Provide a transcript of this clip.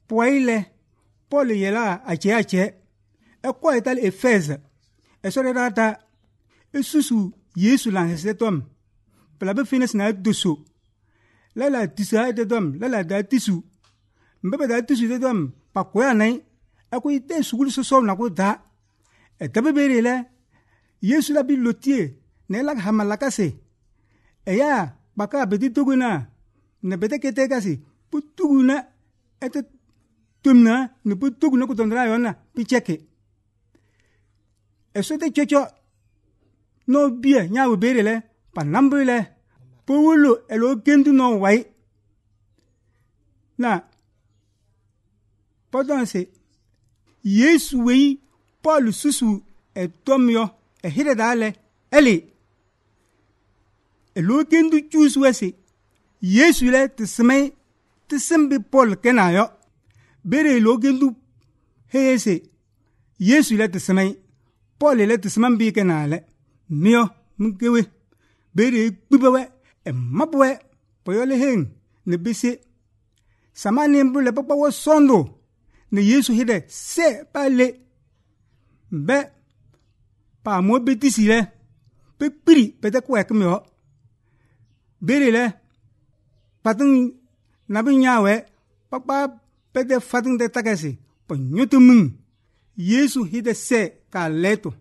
poile Paul yela ache kwa ital Efeze esorata esusu Yesu lan hesetom pela be finis na dusu la tisa de dom la da tisu mbebe da tisu de dom pa kwa nai aku ite sugul so na ko da tabe berele Yesu la bi lotie ne la hamalakase eya baka bedi tuguna ne bede kete kasi putuguna ete tumna ne putuguna ko tondra yona picheke eso te chocho no bie nya wo berele pa nambule powulu elo kendu no wai na podanse Yesu wei Paul susu etomyo ehire dale eli elo kendu chusu wese Yesu le tsemai tsembe Paul kenayo bere elo kendu hese Yesu le tsemai Paul le tsemambi kenale mio mkewe bere kubewe mabwe poyole heng ne bise samani mbule papa wo sondo ne Yesu hide se pale be pa mo betisi le pe piri pete ko ekmyo bere le patun nabinyawe papa pete fatun de takasi po nyutumun Yesu hide se ka leto